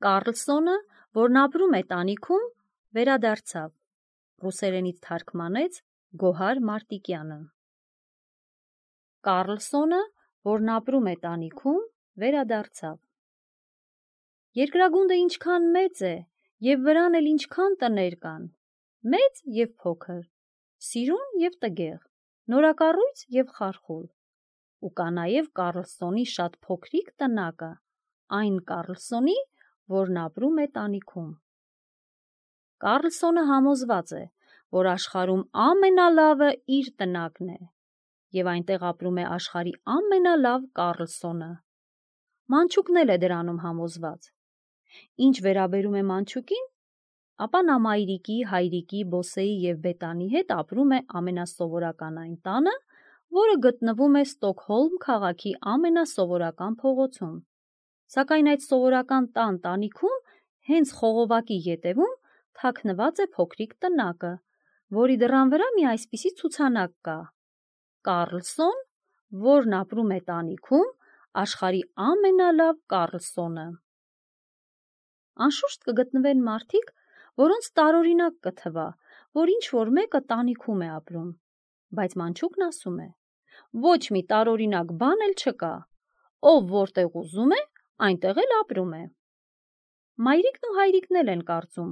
Կառլսոնը, որն ապրում է տանիքում, վերադարձավ։ Ռուսերենից թարգմանեց Գոհար Մարտիկյանը։ Կառլսոնը, որն ապրում է տանիքում, վերադարձավ։ Երկրագունդը ինչքան մեծ է, և վրան էլ ինչքան տներ կան, մեծ և փոքր, սիրուն և տգեղ, նորակառույց և խարխուլ, ու կա նաև Կառլսոնի շատ փոքրիկ տնակը, այն Կառլսոնի, որն ապրում է տանիքում։ Կառլսոնը համոզված է, որ աշխարհում ամենալավը իր տնակն է, և այնտեղ ապրում է աշխարհի ամենալավ Կառլսոնը։ Մանչուկն էլ է դրանում համոզված։ Ինչ վերաբերում է մանչուկին, ապա նա մայրիկի, հայրիկի, բոսեի և բետանի հետ ապրում է ամենասովորական այն տանը, որը գտնվում է Ստոկհոլմ քաղաքի ամենասովորական փողոցում, սակայն այդ սովորական տանիքում հենց խողովակի ետևում թաքնված է փոքրիկ տնակը, որի դռան վրա մի այսպիսի ցուցանակ կա. Կառլսոն, որն ապրում է տանիքում, աշխարհի ամենալավ Կառլսոնը։ Անշուշտ կգտնվեն մարդիկ, որոնց տարօրինակ կթվա, որ ինչ-որ մեկը տանիքում է ապրում, բայց մանչուկն ասում է. ոչ մի տարօրինակ բան էլ չկա, ով որտեղ ուզում է, այնտեղ էլ ապրում է։ Մայրիկն ու հայրիկն էլ են կարծում,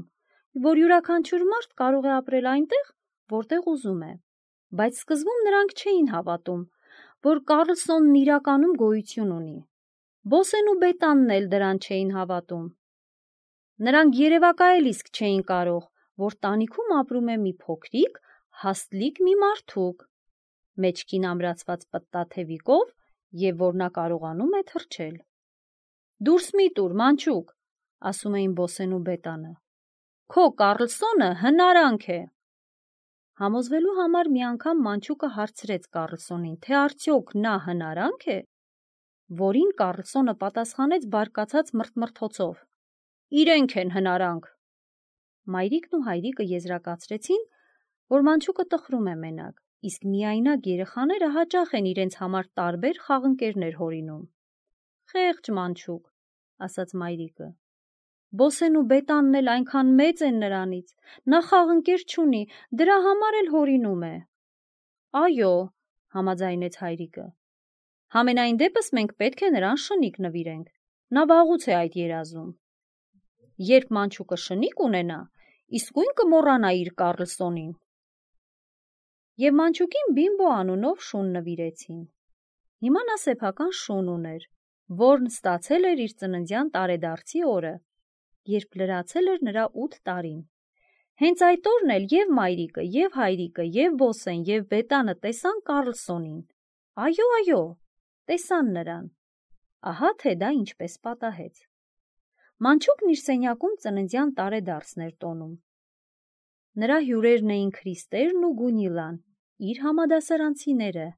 որ յուրաքանչյուր մարդ կարող է ապրել այնտեղ, որտեղ ուզում է, բայց սկզբում նրանք չէին հավատում, որ Կառլսոնն իրականում գոյություն ունի։ Բոսեն ու բետանն էլ դրան չէին հավատում։ Նրանք երևակայել իսկ չէին կարող, որ տանիքում ապրում է մի փոքրիկ, հաստլիկ մի մարդուկ, մեջքին ամրացված պտտաթևիկով, և որ նա կարողանում է թռչել։ Դուրս մի տուր, մանչուկ, ասում էին Բոսեն ու բետանը, քո Կառլսոնը հնարանք է։ Համոզվելու համար մի անգամ մանչուկը հարցրեց Կառլսոնին, թե արդյոք նա հնարանք է, որին Կառլսոնը պատասխանեց բարկացած մրթմրթոցով. իրենք են հնարանք։ Մայրիկն ու հայրիկը եզրակացրեցին, որ մանչուկը տխրում է մենակ, իսկ միայնակ երեխաները հաճախ են իրենց համար տարբեր խաղընկերներ հորինում։ Խեղճ մանչուկ, ասաց մայրիկը։ Բոսեն ու բետանն էլ այնքան մեծ են նրանից, նա խաղընկեր չունի, դրա համար էլ հորինում է։ Այո, համաձայնեց հայրիկը։ Համենայն դեպս մենք պետք է նրան շնիկ նվիրենք, նա վաղուց է այդ երազում։ Երբ մանչուկը շնիկ ունենա, իսկույն կմոռանա իր Կառլսոնին։ Եվ մանչուկին Բիմբո անունով շուն նվիրեցին։ Հիմա նա սեփական շուն ուներ, որն ստացել էր իր ծննդյան տարեդարձի օրը, երբ լրացել էր նրա 8 տարին։ Հենց այդ օրն էլ և մայրիկը, և հայրիկը, և Բոսեն, և բետանը տեսան Կառլսոնին։ Այո, տեսան նրան։ Ահա թե դա ինչպես պատահեց։ Մանչուկն իր սենյակում ծննդյան տարեդարձն էր տոնում։ Նրա հյուրերն էին Քրիստերն ու Գունիլան, իր համադասարանցիները։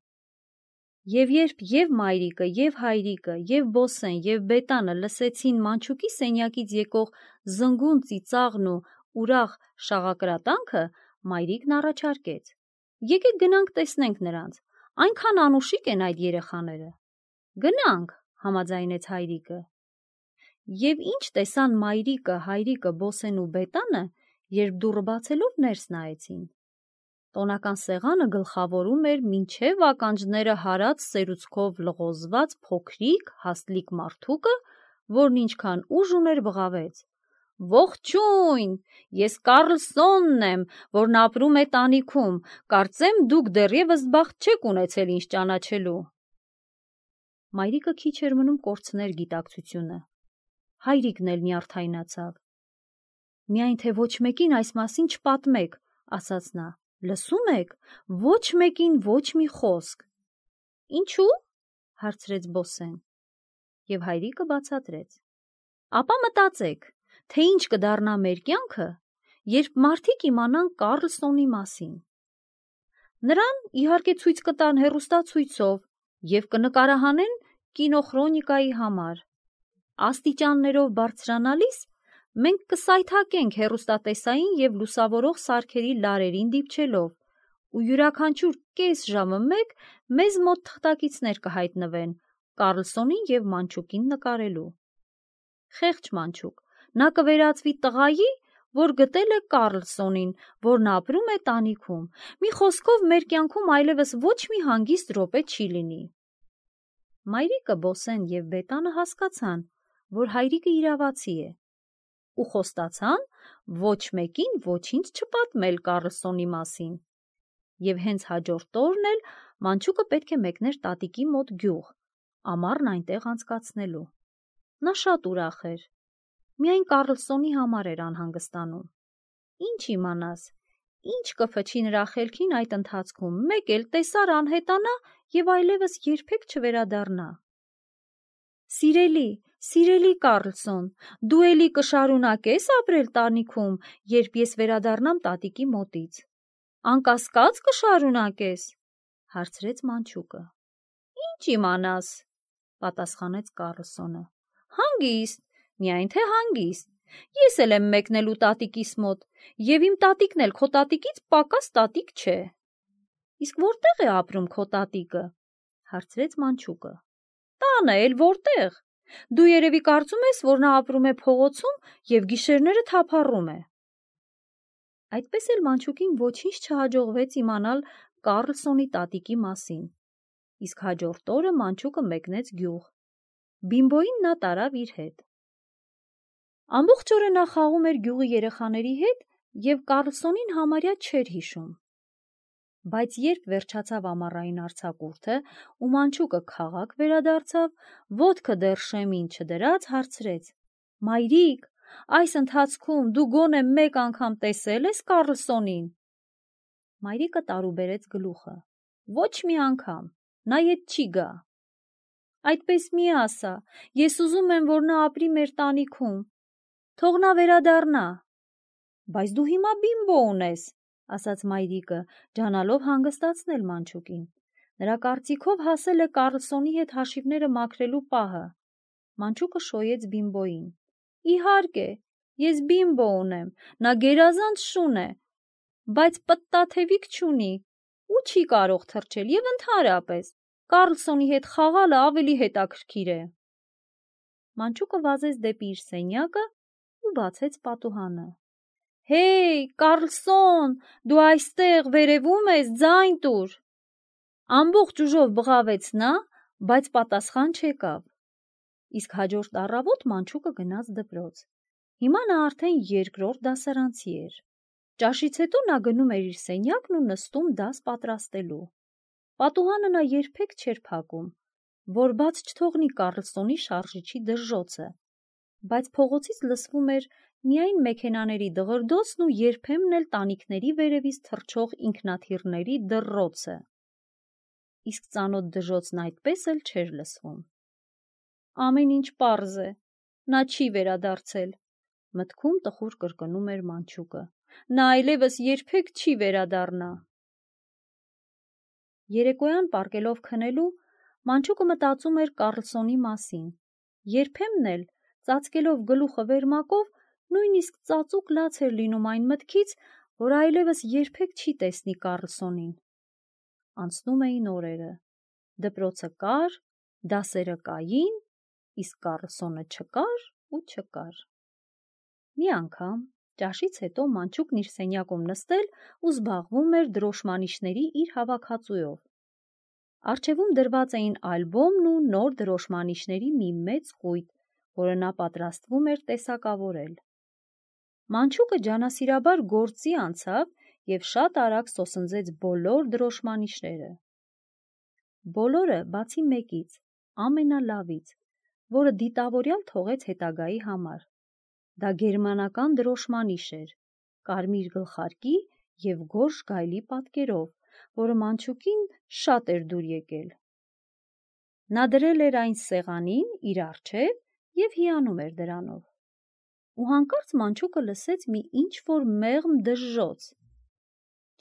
Եվ երբ և մայրիկը, և հայրիկը, և Բոսեն, և բետանը լսեցին մանչուկի սենյակից եկող զնգուն ծիծաղն ու ուրախ շաղակրատանքը, մայրիկն առաջարկեց. եկեք գնանք տեսնենք նրանց, այնքան անուշիկ են այդ երեխաները։ Գնանք, համաձայնեց հայրիկը։ Եվ ինչ տեսան մայրիկը, հայրիկը, Բոսեն ու բետանը, երբ դուռը բացելով ներս նայեցին։ Տոնական սեղանը գլխավորում էր մինչև ականջները հարած սերուցքով լղոզված փոքրիկ, հաստլիկ մարդուկը, որն ինչքան ուժ ուներ բղավեց. Ողջույն, ես Կառլսոնն եմ, որն ապրում է տանիքում, կարծեմ դուք դեռևս բախտ չեք ունեցել ինձ ճանաչելու։ Մայրիկը քիչ էր մնում կորցներ գիտակցությունը։ Հայրիկն էլ նյարդայնացավ։ Միայն թե ոչ մեկին այս մասին չպատմեք, ասաց նա։ Լսում եք, ոչ մեկին ոչ մի խոսք։ Ինչու՞, հարցրեց Բոսեն։ Եվ հայրիկը բացատրեց. ապա մտածեք, թե ինչ կդառնա մեր կյանքը, երբ մարդիկ իմանան Կառլսոնի մասին։ Նրան իհարկե ցույց կտան հեռուստացույցով և կնկարահանեն կինոխրոնիկայի համար։ Աստիճաններով բարձրանալիս մենք կսայթաքենք հեռուստատեսային և լուսավորող սարքերի լարերին դիպչելով, ու յուրաքանչյուր կես ժամը մեկ մեզ մոտ թղթակիցներ կհայտնվեն Կառլսոնին և մանչուկին նկարելու։ Խեղճ մանչուկ, Նա կվերածվի տղայի, որ գտել է Կարլսոնին, որն ապրում է տանիքում։ Մի խոսքով, մեր կյանքում այլևս ոչ մի հանգիստ րոպե չի լինի։ Մայրիկը, Բոսեն և Բետանը հասկացան, որ հայրիկը իրավացի է, ու խոստացան ոչ մեկին ոչինչ չպատմել Կարլսոնի մասին։ Եվ հենց հաջորդ օրն էլ մանչուկը պետք է մեկներ տատիկի մոտ գյուղ, ամառն այնտեղ անցկացնելու։ Նա շատ ուրախ էր։ Միայն Կարլսոնի համար էր անհանգստանում։ Ինչ իմանաս, ինչ կփչի նրա խելքին այդ ընթացքում, մեկ էլ տեսար անհետանա և այլևս երբեք չվերադառնա։ Սիրելի Կարլսոն, դու էլի կշարունակես ապրել տանիքում, երբ ես վերադառնամ տատիկի մոտից։ Անկասկած կշարունակես, հարցրեց մանչուկը։ Ինչ իմանաս, պատասխանեց Կարլսոնը։ Հանգիստ, միայն թե հանգիստ։ Ես էլ եմ մեկնելու տատիկիս մոտ, և իմ տատիկն էլ քո տատիկից պակաս տատիկ չէ։ Իսկ որտե՞ղ է ապրում քո տատիկը, հարցրեց մանչուկը։ Տանը էլ որտե՞ղ։ Դու երևի կարծում ես, որ նա ապրում է փողոցում և գիշերները թափառում է։ Այդպես էլ մանչուկին ոչինչ չհաջողվեց իմանալ Կարլսոնի տատիկի մասին։ Իսկ հաջորդ օրը մանչուկը մեկնեց գյուղ։ Բիմբոյին նա տարավ իր հետ։ Ամբողջ օրը նա խաղում էր գյուղի երեխաների հետ և Կարլսոնին համարյա չէր հիշում։ Բայց երբ վերջացավ ամառային արձակուրդը ու մանչուկը քաղաք վերադարձավ, ոտքը դեռ շեմին չդրած, հարցրեց. Մայրիկ, այս ընթացքում դու գոնե մեկ անգամ տեսել ես Կարլսոնին։ Մայրիկը տարուբերեց գլուխը. Ոչ մի անգամ, նա ետ չի գա։ Այդպես մի ասա, ես ուզում եմ, որ նա ապրի մեր տանիքում։ Թող նա վերադառնա։ Բայց դու հիմա Բիմբո ունես, ասաց մայրիկը, ջանալով հանգստացնել մանչուկին։ Նրա կարծիքով հասել է Կարլսոնի հետ հաշիվները մաքրելու պահը։ Մանչուկը շոյեց Բիմբոյին։ Իհարկե, ես Բիմբո ունեմ, նա գերազանց շուն է, բայց պտտաթևիկ չունի ու չի կարող թռչել և ընդհանրապես Կարլսոնի հետ խաղալը ավելի հետաքրքիր է։ Մանչուկը վազեց դեպի իր սենյակը ու բացեց պատուհանը։ Հեյ, Կարլսոն, դու այստեղ վերևում ես, ձայն տուր։ Ամբողջ ուժով բղավեց նա, բայց պատասխան չեկավ։ Իսկ հաջորդ առավոտ մանչուկը գնաց դպրոց։ Հիմա նա արդեն երկրորդ դասարանցի էր։ Ճաշից հետո նա գնում էր իր սենյակն ու նստում դաս պատրաստելու։ Պատուհանը նա երբեք չէր փակում, որ բաց չթողնի Կարլսոնի շարժիչի դժժոցը, բայց փողոցից լսվում էր միայն մեքենաների դղրդոցն ու երբեմն էլ տանիքների վերևից թռչող ինքնաթիռների դռռոցը։ Իսկ ծանոթ դժոցն այդպես էլ չէր լսվում։ Ամեն ինչ պարզ է, նա չի վերադարձել, մտքում տխուր կրկնում էր մանչուկը։ Նա այլևս երբեք չի վերադառնա։ Երեկոյան պառկելով քնելու, մանչուկը մտածում էր Կարլսոնի մասին։ Երբեմն էլ, ծածկելով գլուխը վերմակով, նույնիսկ ծածուկ լաց էր լինում այն մտքից, որ այլևս երբեք չի տեսնի Կարլսոնին։ Անցնում էին օրերը։ Դպրոցը կար, դասերը կային, իսկ Կարլսոնը չկար ու չկար։ Մի անգամ, ճաշից հետո մանչուկն իր սենյակում նստել ու զբաղվում էր դրոշմանիշների իր հավաքածուով։ Առջևում դրված էին ալբոմն ու նոր դրոշմանիշների մի մեծ կույտ, որը նա պատրաստվում էր տեսակավորել։ Մանչուկը ջանասիրաբար գործի անցավ և շատ արագ սոսնձեց բոլոր դրոշմանիշները։ Բոլորը, բացի մեկից, ամենալավից, որը դիտավորյալ թողեց հետագայի համար։ Դա գերմանական դրոշմանիշ էր, կարմիր գլխարկի և գորշ գայլի պատկերով, որը մանչուկին շատ էր դուր եկել։ Նա դրել էր այն սեղանին իր առջև և հիանում էր դրանով։ Ու հանկարծ մանչուկը լսեց մի ինչ-որ մեղմ դժժոց։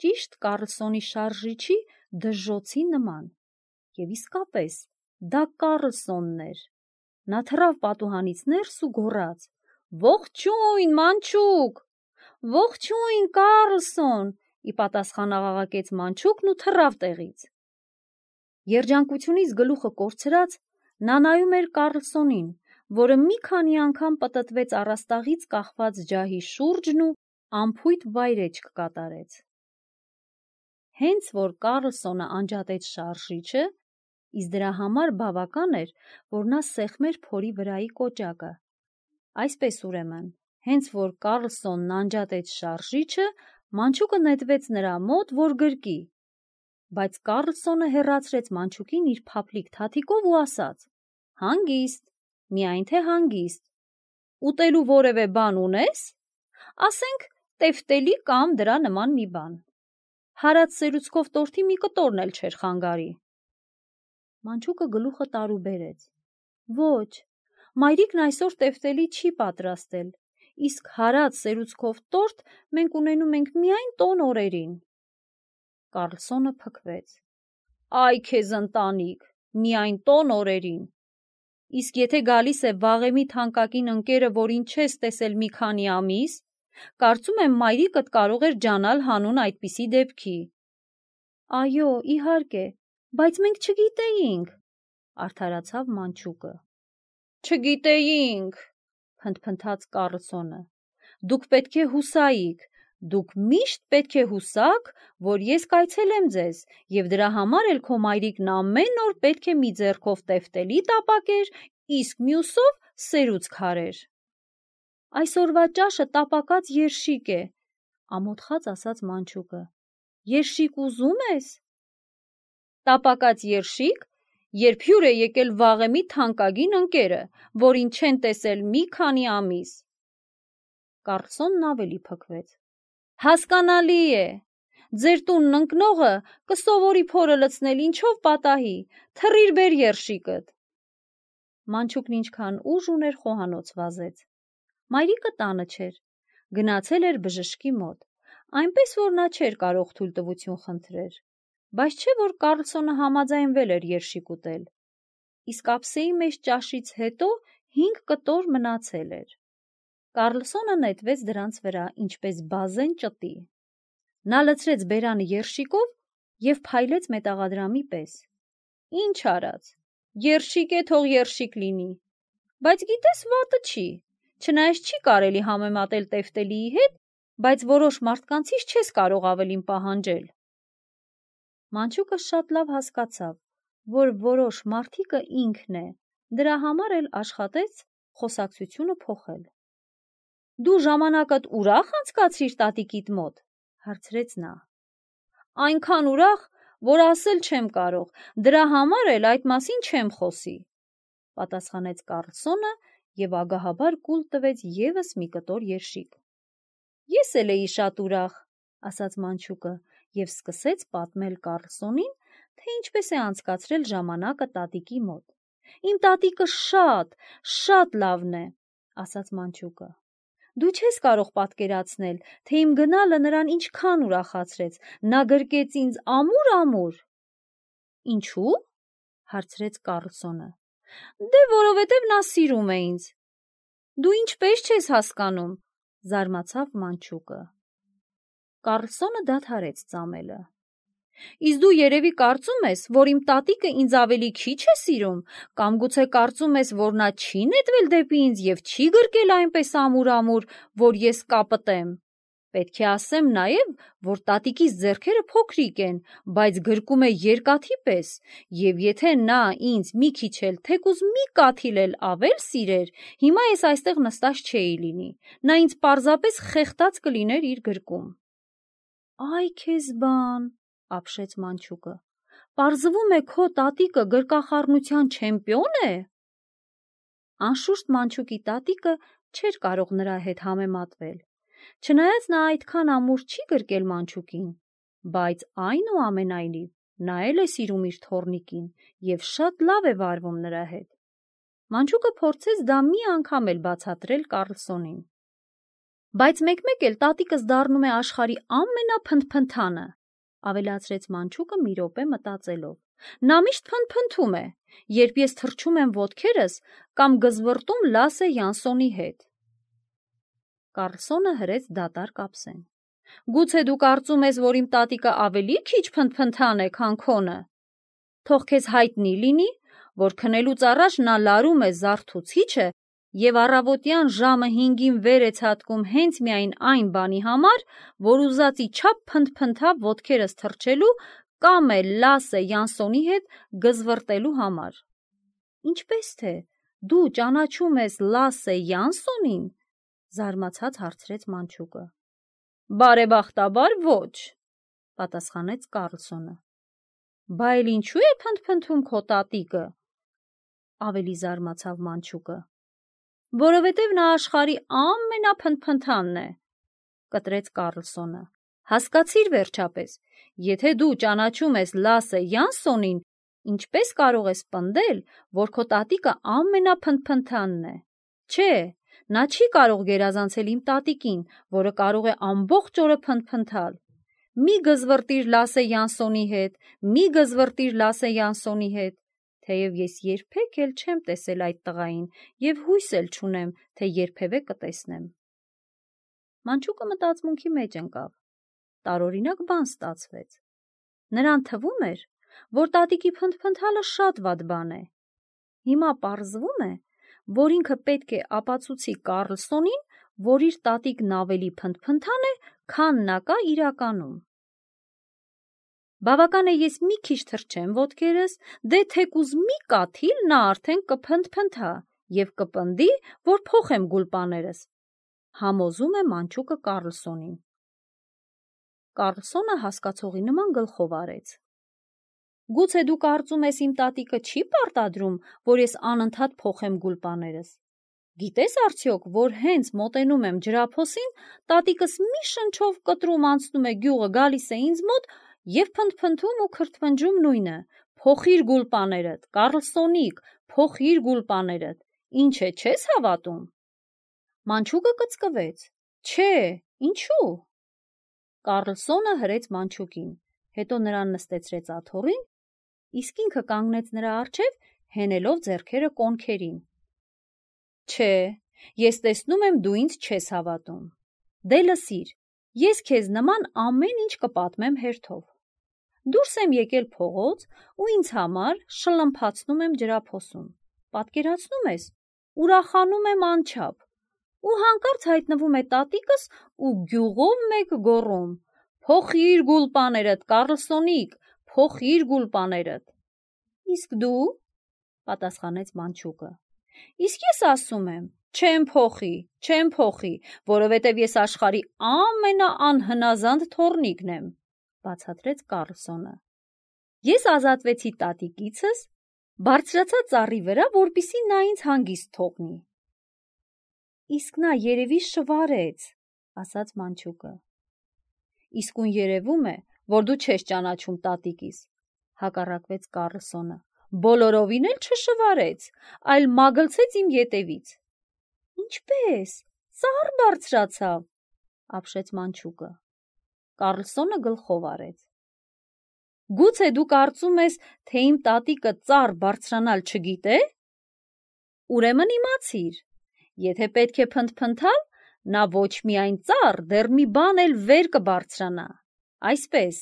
Ճիշտ Կարլսոնի շարժիչի դժժոցի նման։ Եվ իսկապես, դա Կարլսոնն էր։ Նա թռավ պատուհանից ներս ու գոռաց. Ողջույն, մանչուկ, ողջույն, Կարլսոն, ի պատասխան աղաղակեց մանչուկն ու թռավ տեղից։ Երջանկությունից գլուխը կորցրած, նա նայում էր Կարլսոնին, որը մի քանի անգամ պտտվեց առաստաղից կախված ջահի շուրջն ու անփույթ վայրէջք կատարեց։ Հենց որ Կարլսոնը անջատեց շարժիչը, իսկ դրա համար բավական էր, որ նա սեղմեր փորի վրայի կոճակը։ Այսպես ուրեմն, հենց որ Կարլսոնն անջատեց շարժիչը, մանչուկը նետվեց նրա մոտ, որ գրկի, բայց Կարլսոնը հեռացրեց մանչուկին իր փափլիկ թաթիկով ու ասաց. «Հանգիստ, միայն թե հանգիստ, ուտելու որևէ բան ունես, ասենք տեֆտելի կամ դրա նման մի բան, հարած սերուցքով տորթի մի կտորն էլ չէր խանգարի»։ Մանչուկը գլուխը տարուբերեց. «Ոչ, մայրիկն այսօր տեֆտելի չի պատրաստել, իսկ հարած սերուցքով տորթ մենք ունենում ենք միայն տոն օրերին»։ Կարլսոնը փքվեց. «Այ քեզ ընտանիք, միայն տոն օրերին, իսկ եթե գալիս է վաղեմի թանկագին ընկերը, որին չես տեսել մի քանի ամիս, կարծում եմ մայրիկդ կարող էր ջանալ հանուն այդպիսի դեպքի»։ «Այո, իհարկե, բայց մենք չգիտեինք», արդարացավ մանչուկը։ «Չգիտեինք», փնթփնթաց Կարլսոնը, «դուք պետք է հուսայիք, դուք միշտ պետք է հուսաք, որ ես կայցելեմ ձեզ, և դրա համար էլ քո մայրիկն ամեն օր պետք է մի ձեռքով տեֆտելի տապակեր, իսկ մյուսով սերուցք հարեր»։ «Այսօրվա ճաշը տապակած երշիկ է», ամոթխած ասաց մանչուկը։ «Երշիկ ուզում ես»։ «Տապակած երշիկ, երբ հյուր է եկել վաղեմի թանկագին ընկերը, որին չեն տեսել մի քանի ամիս»։ Կարլսոնն ավելի փքվեց. «Հասկանալի է, ձեր տունն ընկնողը կսովորի փորը լցնել, ինչով պատահի, թռիր բեր երշիկդ»։ Մանչուկն ինչքան ուժ ուներ խոհանոց վազեց։ Մայրիկը տանը չէր, գնացել էր բժշկի մոտ, այնպես որ նա չէր կարող թույլտվություն խնդրեր, բայց չէ որ Կարլսոնը համաձայնվել էր երշիկ ուտել, իսկ ափսեի մեջ ճաշից հետո 5 կտոր մնացել էր։ Կարլսոնը նետվեց դրանց վրա, ինչպես բազեն ճտի։ Նա լցրեց բերանը երշիկով և փայլեց մետաղադրամի պես։ Ինչ արած, երշիկ է, թող երշիկ լինի, բայց գիտես վատը չի, չնայած չի կարելի համեմատել տեֆտելիի հետ, բայց որոշ մարդկանցից չես կարող ավելին պահանջել։ Մանչուկը շատ լավ հասկացավ, որ որոշ մարդիկը ինքն է, դրա համար էլ աշխատեց խոսակցությունը փոխել։ «Դու ժամանակդ ուրախ անցկացրիր տատիկիդ մոտ», հարցրեց նա։ «Այնքան ուրախ, որ ասել չեմ կարող, դրա համար էլ այդ մասին չեմ խոսի», պատասխանեց Կարլսոնը և ագահաբար կուլ տվեց ևս մի կտոր երշիկ։ «Ես էլ էի շատ ուրախ», ասաց մանչուկը և սկսեց պատմել Կարլսոնին, թե ինչպես է անցկացրել ժամանակը տատիկի մոտ։ «Իմ տատիկը շատ լավն է», ասաց մանչուկը։ «Դու չես կարող պատկերացնել, թե իմ գնալը նրան ինչքան ուրախացրեց, նա գրկեց ինձ ամուր։ «Ինչու՞, հարցրեց Կարլսոնը։ «Դե որովհետև նա սիրում է ինձ»։ «Դու ինչպես չես հասկանում», զարմացավ մանչուկը։ Կարլսոնը դադարեց ծամելը։ «Իսկ դու երևի կարծում ես, որ իմ տատիկը ինձ ավելի քիչ է սիրում, կամ գուցե կարծում ես, որ նա չի նետվել դեպի ինձ և չի գրկել այնպես ամուր, որ ես կապտեմ։ Պետք է ասեմ նաև, որ տատիկիս ձեռքերը փոքրիկ են, բայց գրկում է երկաթի պես, և եթե նա ինձ մի քիչ էլ, թեկուզ մի կաթիլ էլ ավել սիրեր, հիմա ես այստեղ նստած չէի լինի, նա ինձ պարզապես խեղդած կլիներ իր գրկում»։ «Այ քեզ բան», ապշեց մանչուկը, «պարզվում է քո տատիկը գրկախառնության չեմպիոն է»։ Անշուշտ մանչուկի տատիկը չէր կարող նրա հետ համեմատվել, չնայած նա այդքան ամուր չի գրկել մանչուկին, բայց այնուամենայնիվ նա էլ է սիրում իր թոռնիկին և շատ լավ է վարվում նրա հետ։ Մանչուկը փորձեց դա մի անգամ էլ բացատրել Կարլսոնին։ «Բայց մեկ-մեկ էլ տատիկս դառնում է աշխարհի ամենափնթփնթանը», ավելացրեց մանչուկը մի րոպե մտածելով։ «Նա միշտ փնթփնթում է, երբ ես թռչում եմ ոտքերս կամ գզվռտում Լասե Յանսոնի հետ»։ Կարլսոնը հրեց դատարկ ափսեն։ «Գուցե դու կարծում ես, որ իմ տատիկը ավելի քիչ փնթփնթան է, քան քոնը։ Թող քեզ հայտնի լինի, որ քնելուց առաջ նա լարում է զարթուցիչը և առավոտյան ժամը 5-ին վեր է ցատկում հենց միայն այն բանի համար, որ ուզածի չափ փնթփնթա ոտքերս թռչելու կամ էլ Լասե Յանսոնի հետ գզվռտելու համար։ Ինչպես թե դու ճանաչում ես Լասե Յանսոնին, զարմացած հարցրեց մանչուկը։ Բարեբախտաբար ոչ, պատասխանեց Կարլսոնը։ Բա էլ ինչու է փնթփնթում քո տատիկը, ավելի զարմացավ մանչուկը։ Որովհետև նա աշխարհի ամենափնթփնթանն է, կտրեց Կարլսոնը։ Հասկացիր վերջապես, եթե դու ճանաչում ես Լասե Յանսոնին, ինչպես կարող ես պնդել, որ քո տատիկը ամենափնթփնթանն է։ Չէ, նա չի կարող գերազանցել իմ տատիկին, որը կարող է ամբողջ օրը փնթփնթալ։ Մի գզվռտիր Լասե Յանսոնի հետ, մի գզվռտիր Լասե Յանսոնի հետ, թեև ես երբեք էլ չեմ տեսել այդ տղային և հույս էլ չունեմ, թե երբևէ կտեսնեմ։ Մանչուկը մտածմունքի մեջ ընկավ։ Տարօրինակ բան ստացվեց։ Նրան թվում էր, որ տատիկի փնթփնթալը շատ վատ բան է։ Հիմա պարզվում է, որ ինքը պետք է ապացուցի Կարլսոնին, որ իր տատիկն ավելի փնթփնթան է, քան նա կա իրականում։ Բավական է ես մի քիչ թռչեմ ոտքերս, դե թեկուզ մի կաթիլ նա արդեն կփնթփնթա և կպնդի, որ փոխեմ գուլպաներս, համոզում է մանչուկը Կարլսոնին։ Կարլսոնը հասկացողի նման գլխով արեց։ Գուցե դու կարծում ես իմ տատիկը չի պարտադրում, որ ես անընդհատ փոխեմ գուլպաներս։ Գիտես արդյոք, որ հենց մոտենում եմ ջրափոսին, տատիկս մի շնչով կտրում անցնում է գյուղը, գալիս է ինձ մոտ և փնթփնթում ու քրթմնջում նույնը. փոխիր գուլպաներդ, Կարլսոնիկ, փոխիր գուլպաներդ, ինչ է, չես հավատում։ Մանչուկը կծկվեց։ Չէ, ինչու։ Կարլսոնը հրեց մանչուկին, հետո նրան նստեցրեց աթոռին, իսկ ինքը կանգնեց նրա առջև, հենելով ձեռքերը կոնքերին։ Չէ, ես տեսնում եմ դու ինձ չես հավատում։ Դե լսիր, ես քեզ նման ամեն ինչ կպատմեմ հերթով։ Դուրս եմ եկել փողոց ու ինձ համար շլմփացնում եմ ջրափոսում։ Պատկերացնում ես, ուրախանում եմ անչափ։ Ու հանկարծ հայտնվում է տատիկս ու գյուղով մեկ գոռում. փոխիր գուլպաներդ, Կարլսոնիկ, փոխիր գուլպաներդ։ Իսկ դու, պատասխանեց մանչուկը։ Իսկ ես ասում եմ, չեմ փոխի, որովհետև ես աշխարհի ամենաանհնազանդ թոռնիկն եմ, բացատրեց Կարլսոնը։ Ես ազատվեցի տատիկիցս, բարձրացա ծառի վրա, որպեսզի նա ինձ հանգիստ թողնի։ Իսկ նա երևի շվարեց, ասաց մանչուկը։ Իսկույն երևում է, որ դու չես ճանաչում տատիկիս, հակառակվեց Կարլսոնը։ Բոլորովին էլ չշվարեց, այլ մագլցեց իմ ետևից։ Ինչպես, ծառ բարձրացավ, ապշեց մանչուկը։ Կարլսոնը գլխով արեց։ Գուցե դու կարծում ես, թե իմ տատիկը ծառ բարձրանալ չգիտե։ Ուրեմն իմացիր, եթե պետք է փնթփնթալ, նա ոչ միայն ծառ, դեռ մի բան էլ վեր կբարձրանա։ Այսպես,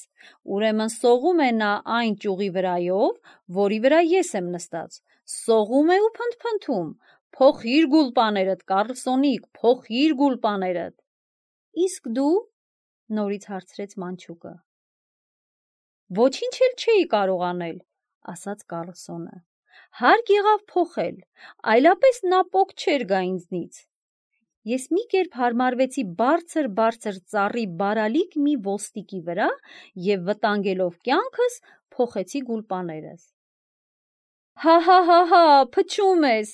ուրեմն սողում է նա այն ճյուղի վրայով, որի վրա ես եմ նստած, սողում է ու փնթփնթում. փոխիր գուլպաներդ, Կարլսոնիկ, փոխիր գուլպաներդ։ Իսկ դու, նորից հարցրեց մանչուկը։ Ոչինչ էլ չէի կարող անել, ասաց Կարլսոնը։ Հարկ եղավ փոխել, այլապես նա պոկ չէր գա ինձնից։ Ես մի կերպ հարմարվեցի բարձր ծառի բարալիկ մի ոստիկի վրա և վտանգելով կյանքս փոխեցի գուլպաներս։ Հա, փչում ես,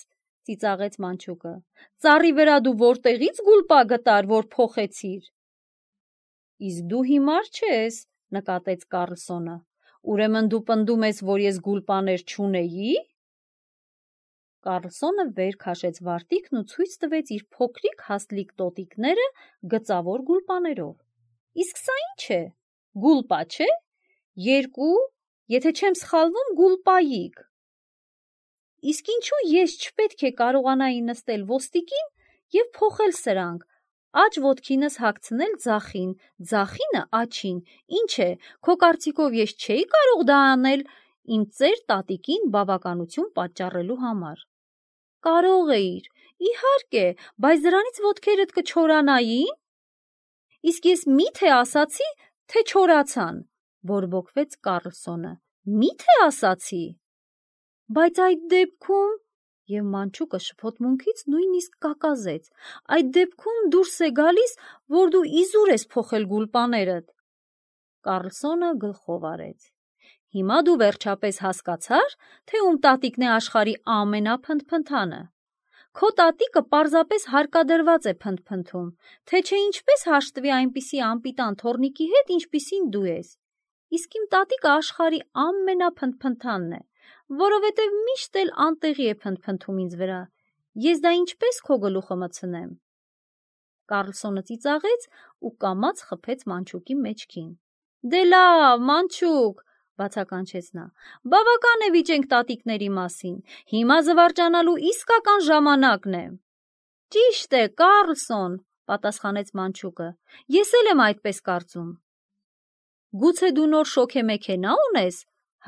ծիծաղեց մանչուկը։ Ծառի վրա դու որտեղից գուլպա գտար, որ փոխեցիր։ Իսկ դու հիմար չես, նկատեց Կարլսոնը։ Ուրեմն դու պնդում ես, որ ես գուլպաներ չունեի։ Կարլսոնը վեր քաշեց վարտիքն ու ցույց տվեց իր փոքրիկ հաստլիկ տոտիկները գծավոր գուլպաներով։ Իսկ սա ինչ է, գուլպա չէ։ Երկու, եթե չեմ սխալվում, գուլպայիկ։ Իսկ ինչու ես չպետք է կարողանայի նստել ոստիկին և փոխել սրանք, աջ ոտքինս հագցնել ձախին, ձախինը աջին, ինչ է, քո կարծիքով ես չէի կարող դա անել, իմ ծեր տատիկին բավականություն պատճառելու համար։ Կարող էիր, իհարկե, բայց դրանից ոտքերդ կչորանային։ Իսկ ես մի՞թե ասացի, թե չորացան, բորբոքվեց Կարլսոնը։ Մի՞թե ասացի։ Բայց այդ դեպքում, եւ մանչուկը շփոթմունքից նույնիսկ կակազեց, այդ դեպքում դուրս է գալիս, որ դու իզուր ես փոխել գուլպաներդ։ Կարլսոնը գլխով արեց։ Հիմա դու վերջապես հասկացար, թե ում տատիկն է աշխարհի ամենափնթփնթանը։ Քո տատիկը պարզապես հարկադրված է փնթփնթում, թե չէ ինչպես հաշտվի այնպիսի անպիտան թոռնիկի հետ, ինչպիսին դու ես։ Իսկ իմ տատիկը աշխարհի ամենափնթփնթանն է, որովհետև միշտ էլ անտեղի է փնթփնթում ինձ վրա։ Ես դա ինչպես քո գլուխը մտցնեմ։ Կարլսոնը ծիծաղեց ու կամաց խփեց մանչուկի մեջքին։ Դե լավ, մանչուկ, բացականչեց նա, բավական է վիճենք տատիկների մասին, հիմա զվարճանալու իսկական ժամանակն է։ Ճիշտ է, Կարլսոն, պատասխանեց մանչուկը, ես էլ եմ այդպես կարծում։ Գուցե դու նոր շոգեմեքենա ունես,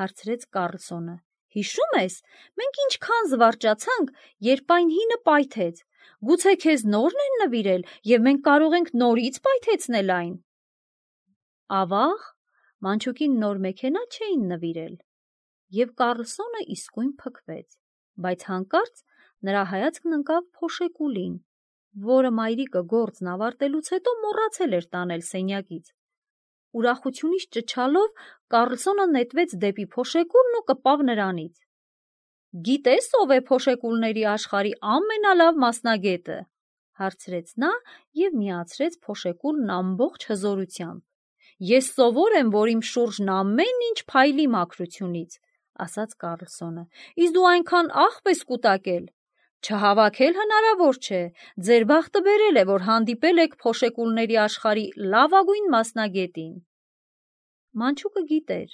հարցրեց Կարլսոնը։ Հիշում ես, մենք ինչքան զվարճացանք, երբ այն հինը պայթեց։ Գուցե քեզ նորն են նվիրել, եւ մենք կարող ենք նորից պայթեցնել այն։ Ավաղ, մանչուկին նոր մեքենա չէին նվիրել, եւ Կարլսոնը իսկույն փքվեց, բայց հանկարծ նրա հայացքն ընկավ փոշեկուլին, որը մայրիկը գործն ավարտելուց հետո մոռացել էր տանել սենյակից։ Ուրախությունից ճչալով Կարլսոնը նետվեց դեպի փոշեկուլն ու կպավ նրանից։ Գիտես ով է փոշեկուլների աշխարհի ամենալավ մասնագետը, հարցրեց նա եւ միացրեց փոշեկուլն ամբողջ հզորությամբ։ Ես սովոր եմ, որ իմ շուրջն ամեն ինչ փայլի մաքրությունից, ասաց Կարլսոնը, իսկ դու այնքան աղբ ես կուտակել։ Չհավաքել հնարավոր չէ, ձեր բախտը բերել է, որ հանդիպել եք փոշեկուլների աշխարհի լավագույն մասնագետին։ Մանչուկը գիտեր,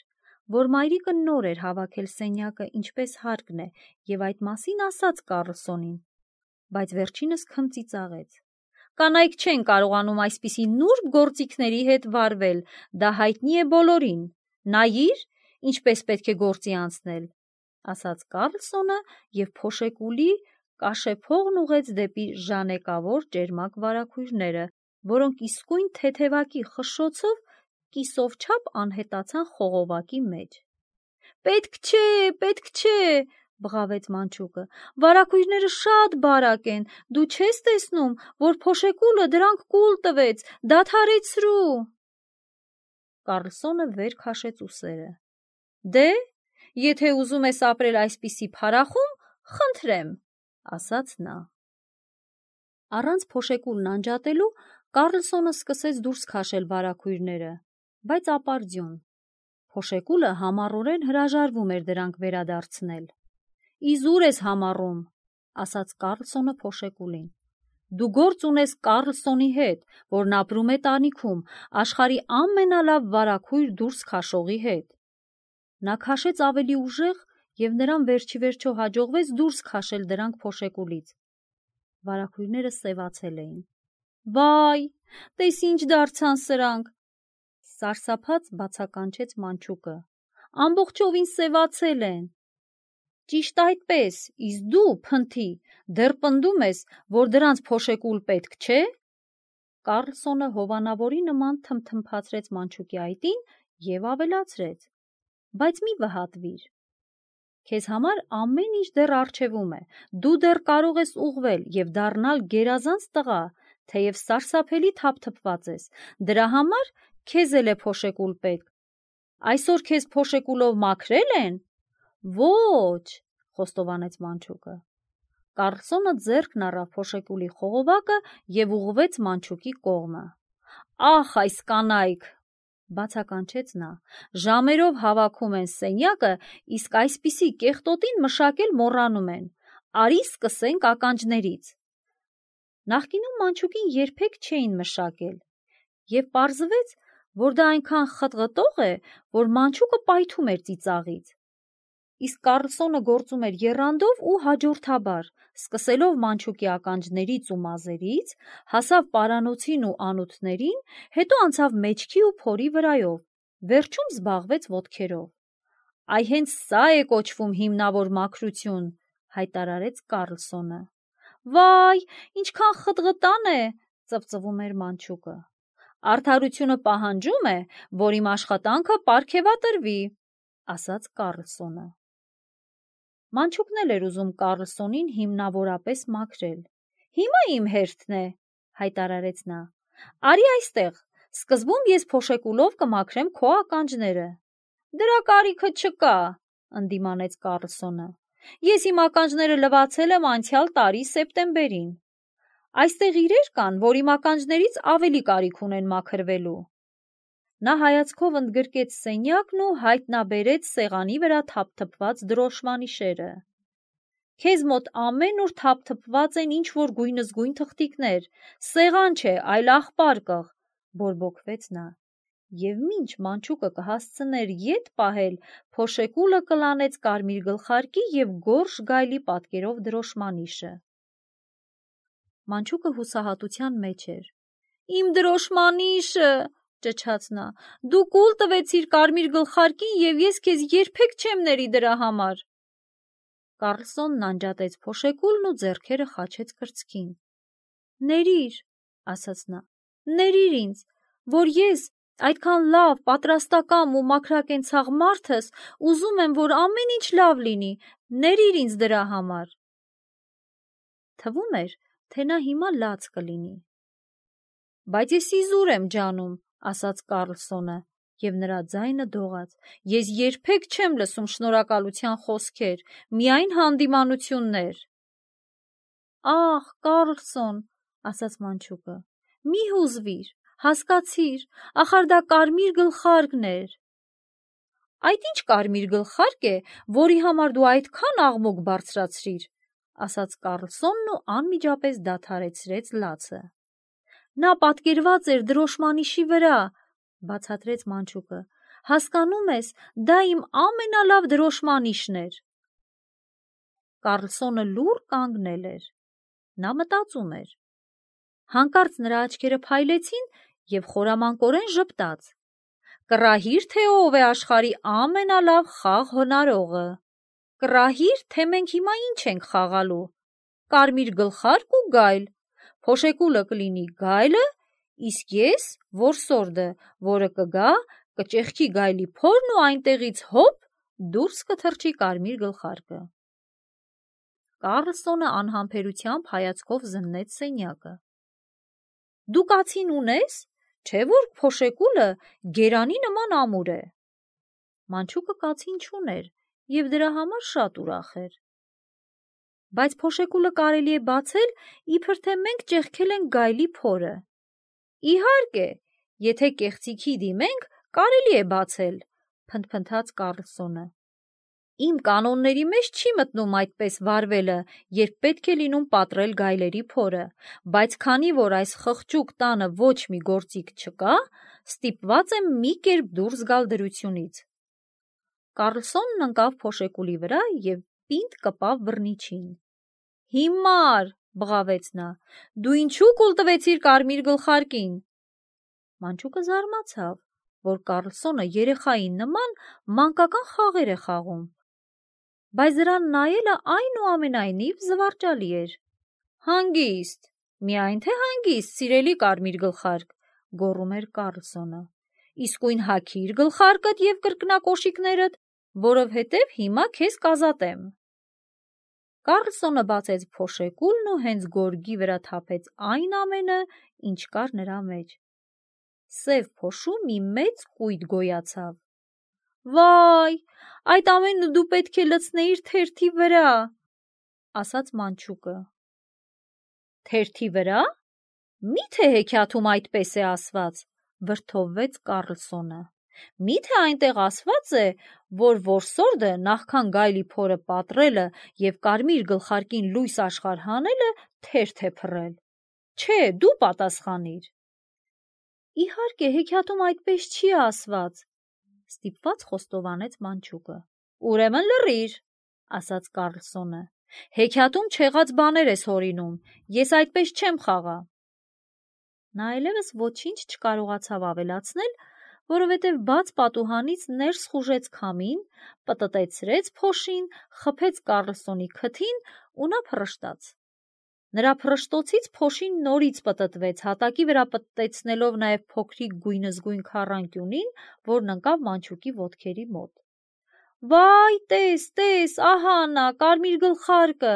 որ մայրիկը նոր էր հավաքել սենյակը ինչպես հարկն է եւ այդ մասին ասաց Կարլսոնին, բայց վերջինս քմծիծաղեց։ Կանայք չեն կարողանում այսպիսի նուրբ գործիքների հետ վարվել, դա հայտնի է բոլորին։ Նայիր, ինչպես պետք է գործի անցնել, ասաց Կարլսոնը եւ փոշեկուլի կաշեփողն ուղեց դեպի ժանեկավոր ճերմակ վարագույրները, որոնք իսկույն թեթևակի խշշոցով կիսովչափ անհետացան խողովակի մեջ։ Պետք չէ, բղավեց մանչուկը, վարագույրները շատ բարակ են, դու չես տեսնում, որ փոշեկուլը դրանք կուլ տվեց, դադարեցրու։ Կարլսոնը վեր քաշեց ուսերը։ Դե, եթե ուզում ես ապրել այսպիսի փարախում, խնդրեմ, ասաց նա։ Առանց փոշեկուլն անջատելու Կարլսոնը սկսեց դուրս քաշել վարագույրները, բայց ապարդյուն։ Փոշեկուլը համառորեն հրաժարվում էր դրանք վերադարձնել։ Իզուր ես համառում, ասաց Կարլսոնը փոշեկուլին։ Դու գործ ունես Կարլսոնի հետ, որն ապրում է տանիքում, աշխարհի ամենալավ վարագույր դուրս քաշողի հետ։ Նա քաշեց ավելի ուժեղ եւ նրան վերջիվերջո հաջողվեց դուրս քաշել դրանք փոշեկուլից։ Վարագույրները սևացել էին։ Վայ, տես ինչ դարձան սրանք, սարսափած բացականչեց մանչուկը։ Ամբողջովին սևացել են։ Ճիշտ այդպես, իսկ դու, փնթի, դեռ պնդում ես, որ դրանց փոշեկուլ պետք չէ։ Կարլսոնը հովանավորի նման թմթմփացրեց մանչուկի այտին եւ ավելացրեց. Բայց մի վհատվիր։ Քեզ համար ամեն ինչ դեռ առջևում է, դու դեռ կարող ես ուղղվել եւ դառնալ գերազանց տղա, թեև սարսափելի թափթփված ես, դրա համար քեզ էլ է փոշեկուլ պետք։ Այսօր քեզ փոշեկուլով մաքրել են։ Ոչ, խոստովանեց մանչուկը։ Կարլսոնը ձեռքն առավ փոշեկուլի խողովակը եւ ուղղվեց մանչուկի կողմը։ Ախ, այս կանայք, բացականչեց նա, ժամերով հավաքում են սենյակը, իսկ այսպիսի կեղտոտին մշակել մոռանում են։ Արի սկսենք ականջներից։ Նախկինում մանչուկին երբեք չէին մշակել, եւ պարզվեց, որ դա այնքան խտղտող է, որ մանչուկը պայթում էր ծիծաղից։ Իսկ Կարլսոնը գործում էր եռանդով ու հաջորդաբար, սկսելով մանչուկի ականջներից ու մազերից, հասավ պարանոցին ու անոթներին, հետո անցավ մեջքի ու փորի վրայով, վերջում զբաղվեց ոտքերով։ Այ հենց սա է կոչվում հիմնավոր մաքրություն, հայտարարեց Կարլսոնը։ Վայ, ինչքան խտղտան է, ծվծվում էր մանչուկը։ Արդարությունը պահանջում է, որ իմ աշխատանքը պարգևատրվի, ասաց Կարլսոնը։ Մանչուկն էլ էր ուզում Կարլսոնին հիմնավորապես մաքրել։ Հիմա իմ հերթն է, հայտարարեց նա։ Արի այստեղ, սկզբում ես փոշեկուլով կմաքրեմ քո ականջները։ Դրա կարիքը չկա, ընդդիմանեց Կարլսոնը։ Ես իմ ականջները լվացել եմ անցյալ տարի սեպտեմբերին։ Այստեղ իրեր կան, որ իմ ականջներից ավելի կարիք ունեն մաքրվելու։ Նա հայացքով ընդգրկեց սենյակն ու հայտնաբերեց սեղանի վրա թափթփված դրոշմանիշերը։ Քեզ մոտ ամեն օր թափթփված են ինչ-որ գույնզգույն թղթիկներ, սեղան չէ, այլ աղբարկղ, բորբոքվեց նա։ Եվ մինչ մանչուկը կհասցներ ետ պահել, փոշեկուլը կլանեց կարմիր գլխարկի և գորշ գայլի պատկերով դրոշմանիշը։ Մանչուկը հուսահատության մեջ էր։ Իմ դրոշմանիշը, ճչաց նա, դու կուլ տվեցիր կարմիր գլխարկին և ես քեզ երբեք չեմ ների դրա համար։ Կարլսոնն անջատեց փոշեկուլն ու ձեռքերը խաչեց կրծքին։ Ներիր, ասաց նա, ներիր ինձ, որ ես այդքան լավ, պատրաստակամ ու մաքրակենցաղ մարդս ուզում եմ, որ ամեն ինչ լավ լինի, ներիր ինձ դրա համար։ Թվում էր, թե նա հիմա լաց կլինի։ Բայց ես իզուր եմ ջանում, ասաց Կարլսոնը, և նրա ձայնը դողաց։ Ես երբեք չեմ լսում շնորհակալության խոսքեր, միայն հանդիմանություններ։ Ախ, Կարլսոն, ասաց մանչուկը, մի հուզվիր, հասկացիր, ախար դա կարմիր գլխարկն էր։ Այդ ինչ կարմիր գլխարկ է, որի համար դու այդքան աղմուկ բարձրացրիր, ասաց Կարլսոնն ու անմիջապես դադարեցրեց լացը։ Նա պատկերված էր դրոշմանիշի վրա, բացատրեց մանչուկը, հասկանում ես, դա իմ ամենալավ դրոշմանիշն էր։ Կարլսոնը լուռ կանգնել էր։ Նա մտածում էր։ Հանկարծ նրա աչքերը փայլեցին և խորամանկորեն ժպտաց։ Կռահիր, թե ով է աշխարհի ամենալավ խաղ հնարողը։ Կռահիր, թե մենք հիմա ինչ ենք խաղալու։ Կարմիր գլխարկ ու գայլ։ Փոշեկուլը կլինի գայլը, իսկ ես որսորդը, որը կգա, կճեղքի գայլի փորն ու այնտեղից հոպ դուրս կթռչի կարմիր գլխարկը։ Կարլսոնը անհամբերությամբ հայացքով զննեց սենյակը։ Դու կացին ունես, չէ՞ որ փոշեկուլը գերանի նման ամուր է։ Մանչուկը կացին չուներ և դրա համար շատ ուրախ էր։ Բայց փոշեկուլը կարելի է բացել, իբր թե մենք ճեղքել ենք գայլի փորը։ Իհարկե, եթե կեղծիքի դիմենք, կարելի է բացել, փնթփնթաց Կարլսոնը։ Իմ կանոնների մեջ չի մտնում այդպես վարվելը, երբ պետք է լինում պատռել գայլերի փորը, բայց քանի որ այս խղճուկ տանը ոչ մի գործիք չկա, ստիպված եմ մի կերպ դուրս գալ դրությունից։ Կարլսոնն ընկավ փոշեկուլի վրա և պինդ կպավ բռնիչին։ Հիմար, բղավեց նա, դու ինչու կուլ տվեցիր կարմիր գլխարկին։ Մանչուկը զարմացավ, որ Կարլսոնը երեխայի նման մանկական խաղեր է խաղում։ Բայց դրան նայելը այնուամենայնիվ զվարճալի էր։ Հանգիստ, միայն թե հանգիստ, սիրելի կարմիր գլխարկ, գոռում էր Կարլսոնը։ Իսկույն հագիր գլխարկդ և կրկնակոշիկներդ, որովհետև հիմա քեզ կազատեմ։ Կարլսոնը բացեց փոշեկուլն ու հենց գորգի վրա թափեց այն ամենը, ինչ կար նրա մեջ։ Սև փոշու մի մեծ կույտ գոյացավ։ Վայ, այդ ամենը դու պետք է լցնեիր թերթի վրա, ասաց մանչուկը։ Թերթի վրա։ Մի՞թե հեքիաթում այդպես է ասված, վրդովվեց Կարլսոնը։ Մի՞թե այնտեղ ասված է, որ որսորդը նախքան գայլի փորը պատռելը և կարմիր գլխարկին լույս աշխարհ հանելը թերթ է փռել։ Չէ, դու պատասխանիր։ Իհարկե, հեքիաթում այդպես չի ասված, ստիպված խոստովանեց մանչուկը։ Ուրեմն լռիր, ասաց Կարլսոնը։ Հեքիաթում չեղած բաներ ես հորինում, ես այդպես չեմ խաղա։ Նա այլևս ոչինչ չկարողացավ ավելացնել, որովհետև բաց պատուհանից ներս խուժեց քամին, պտտեցրեց փոշին, խփեց Կարլսոնի քթին ու նա փռշտաց։ Նրա փռշտոցից փոշին նորից պտտվեց, հատակի վրա պտտեցնելով նաև փոքրիկ գույնզգույն քառանկյունին, որն ընկավ Մանչուկի ոտքերի մոտ։ «Վայ, տես, ահա նա, կարմիր գլխարկը»,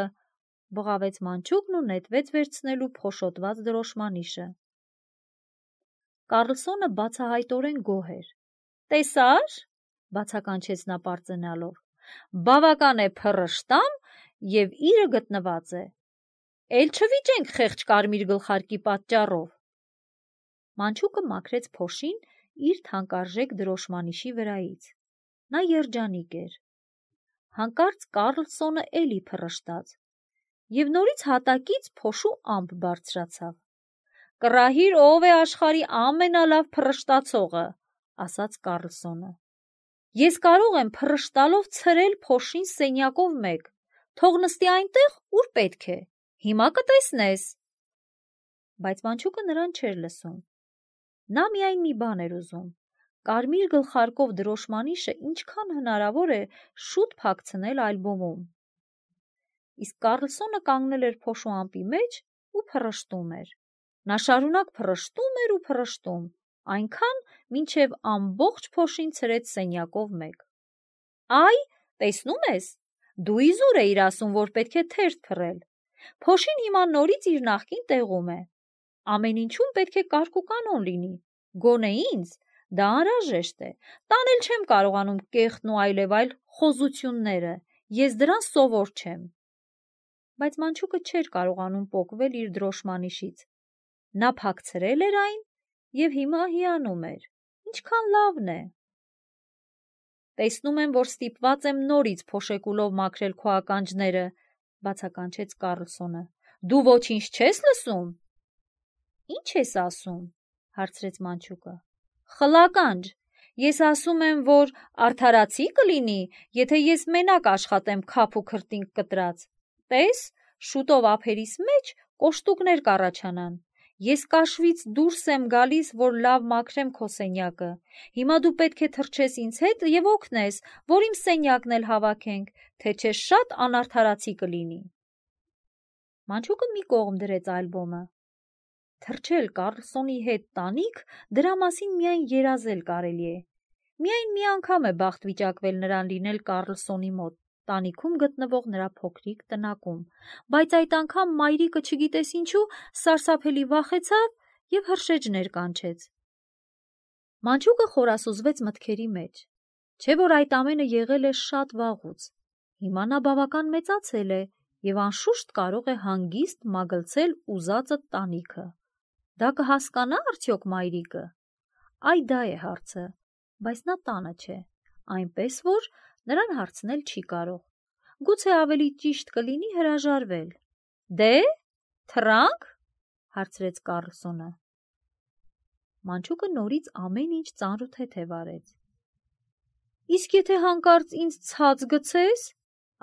բղավեց Մանչուկն ու նետվեց վերցնելու փոշոտված դրոշմանիշը։ Կարլսոնը բացահայտորեն գոհ էր։ «Տեսա՞ր», բացականչեց նա պարծենալով, «բավական է փռշտամ և իրը գտնված է։ Էլ չվիճենք խեղճ կարմիր գլխարկի պատճառով»։ Մանչուկը մաքրեց փոշին իր թանկարժեք դրոշմանիշի վրայից։ Նա երջանիկ էր։ Հանկարծ Կարլսոնը էլի փռշտաց, և նորից հատակից փոշու ամպ բարձրացավ։ «Կռահիր ով է աշխարհի ամենալավ փռշտացողը», ասաց Կարլսոնը։ «Ես կարող եմ փռշտալով ցրել փոշին սենյակով մեկ, թող նստի այնտեղ, ուր պետք է, հիմա կտեսնես»։ Բայց Մանչուկը նրան չէր լսում։ Նա միայն մի բան էր ուզում՝ կարմիր գլխարկով դրոշմանիշը ինչքան հնարավոր է շուտ փակցնել ալբոմում։ Իսկ Կարլսոնը կանգնել էր փոշու ամպի մեջ ու փռշտում էր։ Նա շարունակ փռշտում էր ու փռշտում, այնքան, մինչև ամբողջ փոշին ցրեց սենյակով մեկ։ «Այ, տեսնում ես, դու իզուր էիր ասում, որ պետք է թերթ փռել։ Փոշին հիմա նորից իր նախկին տեղում է։ Ամեն ինչում պետք է կարգ ու կանոն լինի, գոնե ինձ դա անհրաժեշտ է, տանել չեմ կարողանում կեղտն ու այլևայլ խոզությունները, ես դրան սովոր չեմ»։ Բայց Մանչուկը չէր կարողանում պոկվել իր դրոշմանիշից։ Նա փակցրել էր այն և հիմա հիանում էր. ինչքան լավն է։ «Տեսնում եմ, որ ստիպված եմ նորից փոշեկուլով մաքրել քո ականջները», բացականչեց Կարլսոնը։ «Դու ոչինչ չես լսում»։ «Ինչ ես ասում», հարցրեց Մանչուկը։ «Խլականջ, ես ասում եմ, որ արդարացի կլինի, եթե ես մենակ աշխատեմ քափ ու քրտինք կտրած։ Տես, շուտով ափերիս մեջ կոշտուկներ կառաջանան։ Ես կաշվից դուրս եմ գալիս, որ լավ մաքրեմ քո սենյակը։ Հիմա դու պետք է թռչես ինձ հետ և օգնես, որ իմ սենյակն էլ հավաքենք, թե չէ շատ անարդարացի կլինի»։ Մանչուկը մի կողմ դրեց ալբոմը։ Թռչել Կարլսոնի հետ տանիք, դրա մասին միայն երազել կարելի է։ Միայն մի անգամ է բախտ վիճակվել նրան լինել Կարլսոնի մոտ, տանիքում գտնվող նրա փոքրիկ տնակում, բայց այդ անգամ մայրիկը չգիտես ինչու սարսափելի վախեցավ և հրշեջներ կանչեց։ Մանչուկը խորասուզվեց մտքերի մեջ, չէ՞ որ այդ ամենը եղել է շատ վաղուց։ Հիմա նա բավական մեծացել է և անշուշտ կարող է հանգիստ մագլցել ուզածը տանիքը։ Դա կհասկանա՞ արդյոք մայրիկը։ Այ դա է հարցը, բայց նա տանը չէ, այնպես որ նրան հարցնել չի կարող։ Գուցե ավելի ճիշտ կլինի հրաժարվել։ «Դե, թռա՞նք», հարցրեց Կարլսոնը։ Մանչուկը նորից ամեն ինչ ծանրութեթև արեց։ «Իսկ եթե հանկարծ ինձ ցած գցես»,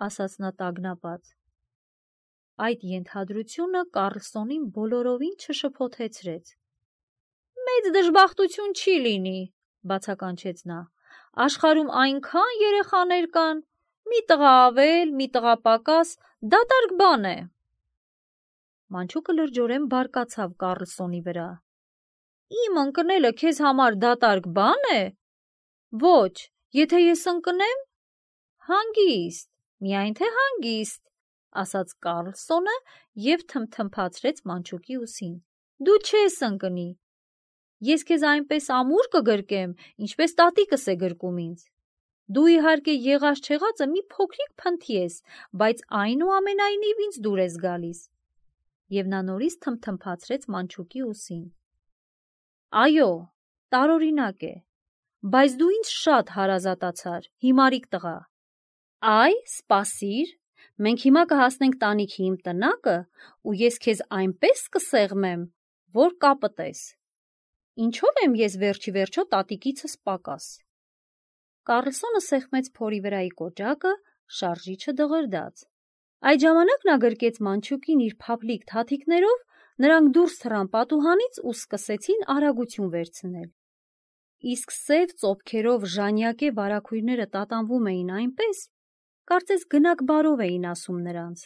ասաց նա տագնապած։ Այդ ենթադրությունը Կարլսոնին բոլորովին չշփոթեցրեց։ «Մեծ դժբախտություն չի լինի», բացականչեց նա։ «Աշխարհում այնքան երեխաներ կան, մի տղա ավել, մի տղա պակաս, դատարկ բան է»։ Մանչուկը լրջորեն բարկացավ Կարլսոնի վրա։ «Իմ ընկնելը քեզ համար դատարկ բան է։ Ոչ, եթե ես ընկնեմ, հանգիստ, միայն թե հանգիստ», ասաց Կարլսոնը և թմթմփացրեց Մանչուկի ուսին։ «Դու չես ընկնի։ Ես քեզ այնպես ամուր կգրկեմ, ինչպես տատիկս է գրկում ինձ։ Դու իհարկե եղած-չեղածը մի փոքրիկ փնթի ես, բայց այնուամենայնիվ ինձ դուր ես գալիս»։ Եվ նա նորից թմթմփացրեց Մանչուկի ուսին։ «Այո, տարօրինակ է, բայց դու ինձ շատ հարազատացար, հիմարիկ տղա։ Այ, սպասիր, մենք հիմա կհասնենք տանիքի իմ տնակը, ու ես քեզ այնպես կսեղմեմ, որ կապտես։ Ինչո՞վ եմ ես վերջիվերջո տատիկիցս պակաս»։ Կարլսոնը սեղմեց փորի վրայի կոճակը, շարժիչը դղրդաց։ Այդ ժամանակ նա գրկեց Մանչուկին իր փափլիկ թաթիկներով, նրանք դուրս թռան պատուհանից ու սկսեցին արագություն վերցնել։ իսկ սև ծոփքերով ժանյակե վարագույրները տատանվում էին այնպես, կարծես գնակ բարով էին ասում նրանց։